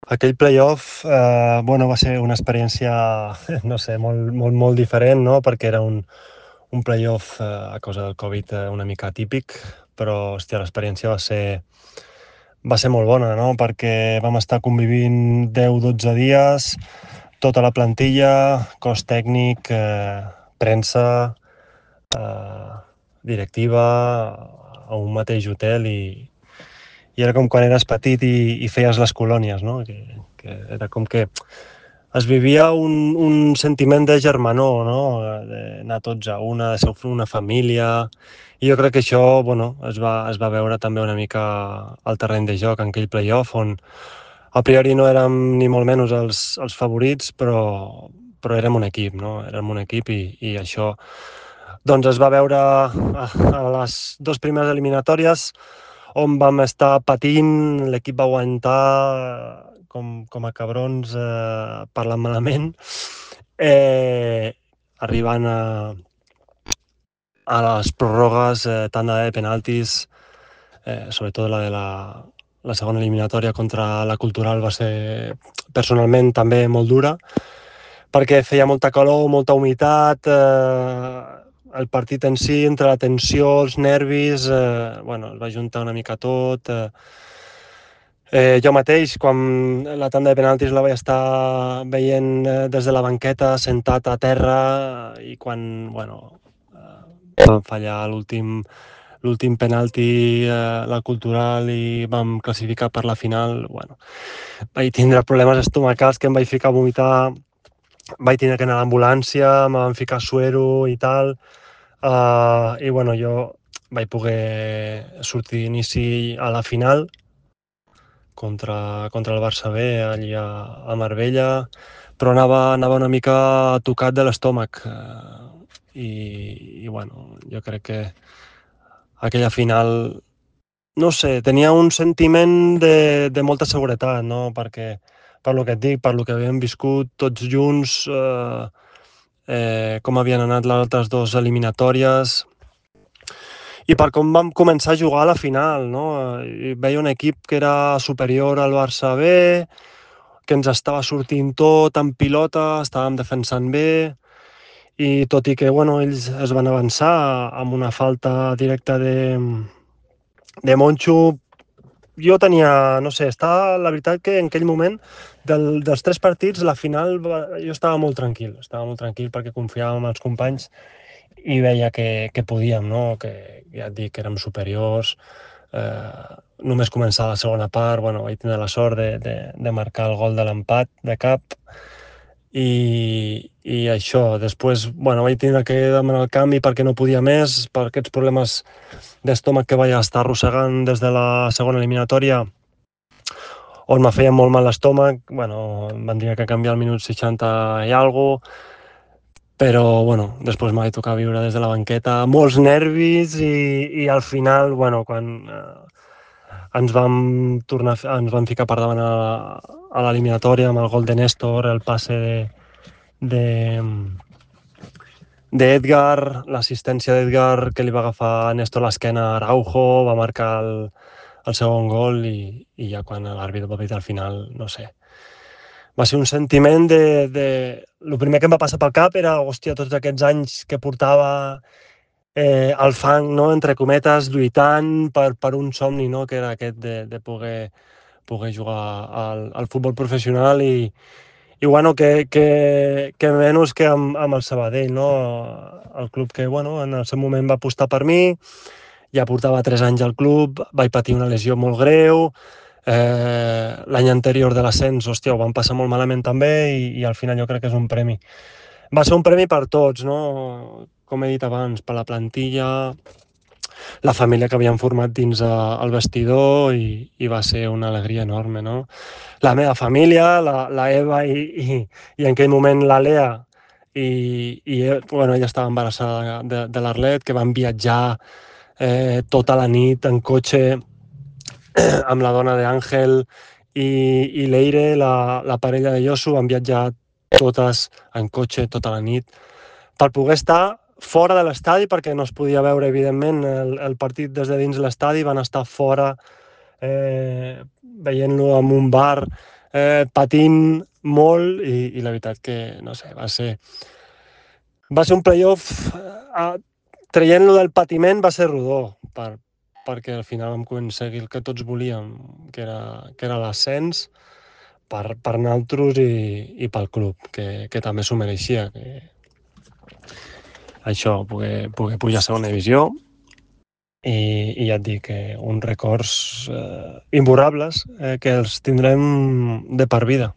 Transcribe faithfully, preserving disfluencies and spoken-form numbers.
Aquell playoff eh, bueno, va ser una experiència no sé, molt, molt, molt diferent, no? Perquè era un, un playoff eh, a causa del Covid eh, una mica atípic, però hòstia, l'experiència va ser, va ser molt bona, no? Perquè vam estar convivint deu dotze dies, tota la plantilla, cos tècnic, eh, premsa, eh, directiva, a un mateix hotel i, i era com quan eres petit i, i feies les colònies, no? Que, que era com que es vivia un, un sentiment de germanor, no? D'anar tots a una, de ser una família, i jo crec que això, bueno, es va, es va veure també una mica al terreny de joc en aquell playoff, on a priori no érem ni molt menys els, els favorits, però, però érem un equip, no? Érem un equip i, i això doncs es va veure a, a les dues primeres eliminatòries on vam estar patint, l'equip va aguantar com, com a cabrons eh, parlant malament, eh, arribant a, a les pròrrogues, eh, tanda de penaltis, eh, sobretot la de la, la segona eliminatòria contra la Cultural va ser personalment també molt dura, perquè feia molta calor, molta humitat, eh, el partit en si, entre la tensió, els nervis, eh, bueno, es va juntar una mica tot. Eh, eh, jo mateix, quan la tanda de penaltis la vaig estar veient eh, des de la banqueta, sentat a terra, i quan, bueno, eh, vam fallar l'últim l'últim penalti, eh, la Cultural, i vam classificar per la final, bueno, vaig tindre problemes estomacals que em vaig ficar a vomitar, vaig tenir que anar a l'ambulància, me van ficar suero i tal, uh, i bueno, jo vaig poder sortir d'inici a la final contra, contra el Barça B, allí a, a Marbella, però anava, anava una mica tocat de l'estómac, uh, i, i bueno, jo crec que aquella final, no sé, tenia un sentiment de, de molta seguretat, no? Perquè, per lo que et dic, per lo que havíem viscut tots junts, eh, eh, com havien anat les altres dues eliminatòries, i per com vam començar a jugar a la final, no? I veia un equip que era superior al Barça B, que ens estava sortint tot en pilota, estàvem defensant bé, i tot i que, bueno, ells es van avançar amb una falta directa de, de Moncho, jo tenia, no sé, estava, la veritat que en aquell moment del, dels tres partits, la final, jo estava molt tranquil, estava molt tranquil perquè confiàvem en els companys i veia que, que podíem, no? Que ja et dic que érem superiors, eh, només començar la segona part, bueno, vaig tenir la sort de, de, de marcar el gol de l'empat de cap, i, i això, després, bueno, vaig tenir que demanar el canvi perquè no podia més, per aquests problemes d'estómac que vaig estar arrossegant des de la segona eliminatòria, on me feia molt mal l'estómac, bueno, em van dir que canviar al minut seixanta i alguna cosa, però, bueno, després m'ha de tocar viure des de la banqueta, molts nervis, i, i al final, bueno, quan eh, ens vam tornar, ens vam ficar per davant a, a l'eliminatòria amb el gol de Néstor, el passe de, de, d'Edgar, l'assistència d'Edgar que li va agafar a Néstor l'esquena a Araujo, va marcar el, el segon gol, i, i ja quan l'àrbitre va pitar al final, no sé, va ser un sentiment de, de... El primer que em va passar pel cap era, hòstia, tots aquests anys que portava eh, al fang, no?, entre cometes, lluitant per, per un somni, no?, que era aquest de, de poder, poder jugar al, al futbol professional, i, i bueno, que, que, que menys que amb, amb el Sabadell, no?, el club que, bueno, en el seu moment va apostar per mi, ja portava tres anys al club, vaig patir una lesió molt greu, eh, l'any anterior de l'ascens, hòstia, ho vam passar molt malament també, i, i al final jo crec que és un premi. Va ser un premi per tots, no?, com he dit abans, per la plantilla, la família que havíem format dins el vestidor, i, i va ser una alegria enorme, no? La meva família, la, la Eva i, i, i en aquell moment la Lea, i, i bueno, ella estava embarassada de, de l'Arlet, que van viatjar eh, tota la nit en cotxe amb la dona d'Àngel i, i Leire, la, la parella de Yosu, han viatjat totes en cotxe tota la nit per poder estar fora de l'estadi, perquè no es podia veure, evidentment, el, el partit des de dins l'estadi, van estar fora eh, veient-lo en un bar eh, patint molt i, i la veritat que, no sé, va ser... Va ser un playoff... Eh, traient-lo del patiment va ser rodó, per, perquè al final vam aconseguir el que tots volíem, que era, que era l'ascens per, per nosaltres i, i pel club, que, que també s'ho mereixia. Que això, poder, poder pujar a segona divisió i, i ja et dic, que uns records eh, imborrables eh, que els tindrem de per vida.